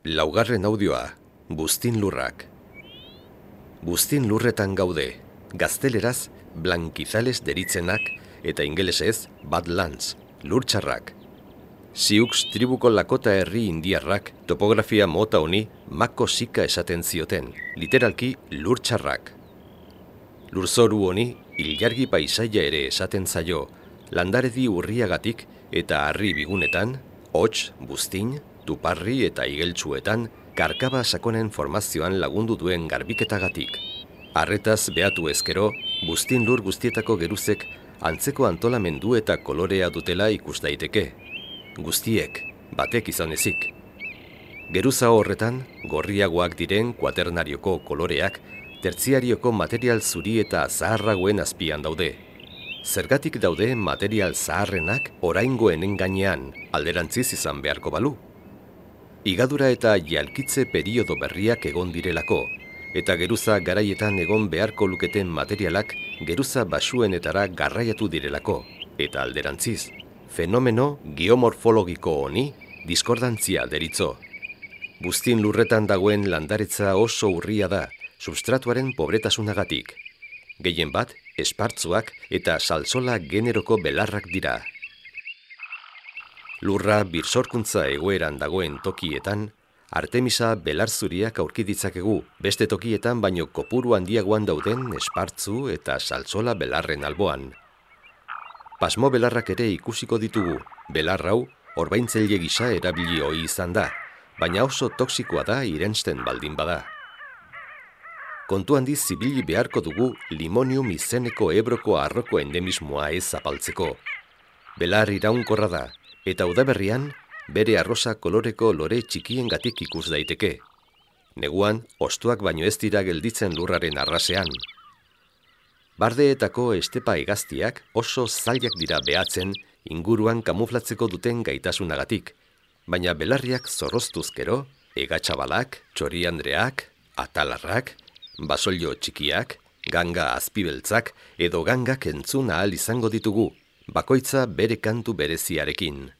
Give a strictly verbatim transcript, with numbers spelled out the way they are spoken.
Laugarren audioa, Buztin lurrak. Buztin lurretan gaude, gazteleraz blankizales deritzenak eta ingelesez badlands, lurtxarrak. Sioux tribuko Lakota herri indiarrak topografia mota honi mako sika esaten zioten, literalki lurtxarrak. Lurzoru honi ilargi paisaia ere esaten zaio, landaredi urriagatik eta harri bigunetan, hots, buztin, tuparri eta igeltsuetan, karkaba sakonen formazioan lagundu duen garbiketagatik. Arretaz behatu ezkero, buztin lur guztietako geruzek antzeko antolamendu eta kolorea dutela ikus daiteke. Guztiek, batek izan ezik. Geruza horretan, gorriagoak diren kuaternarioko koloreak, tertziarioko material zuri eta zaharragoen azpian daude. Zergatik daude material zaharrenak oraingoenen gainean, alderantziz izan beharko balu. Igadura eta jalkitze periodo berriak egon direlako, eta geruza garaietan egon beharko luketen materialak geruza basuenetara garraiatu direlako, eta alderantziz, fenomeno geomorfologiko honi diskordantzia deritzo. Buztin lurretan dagoen landaretza oso urria da, substratuaren pobretasunagatik. Gehien bat, espartzuak eta salsola generoko belarrak dira. Lurra birsorkuntza egoeran dagoen tokietan, Artemisa belarzuriak aurki ditzakegu, beste tokietan baino kopuru handiagoan dauden espartzu eta salsola belarren alboan. Pasmo belarrak ere ikusiko ditugu, belar hau orbaintzaile gisa erabili ohi izan da, baina oso toxikoa da irensten baldin bada. Kontu handiz zibili beharko dugu limonium izeneko Ebroko arroko endemismoa ez zapaltzeko. Belar iraunkorra da, eta udaberrian bere arrosa koloreko lore txikiengatik ikus daiteke. Neguan, hostoak baino ez dira gelditzen lurraren arrasean. Bardeetako estepa hegaztiak oso zailak dira behatzen inguruan kamuflatzeko duten gaitasunagatik, baina belarriak zorroztuzkero, hegatxabalak, txoriandreak, atalarrak, basolio txikiak, ganga azpibeltzak edo gangak entzun ahal izango ditugu, bakoitza bere kantu bereziarekin.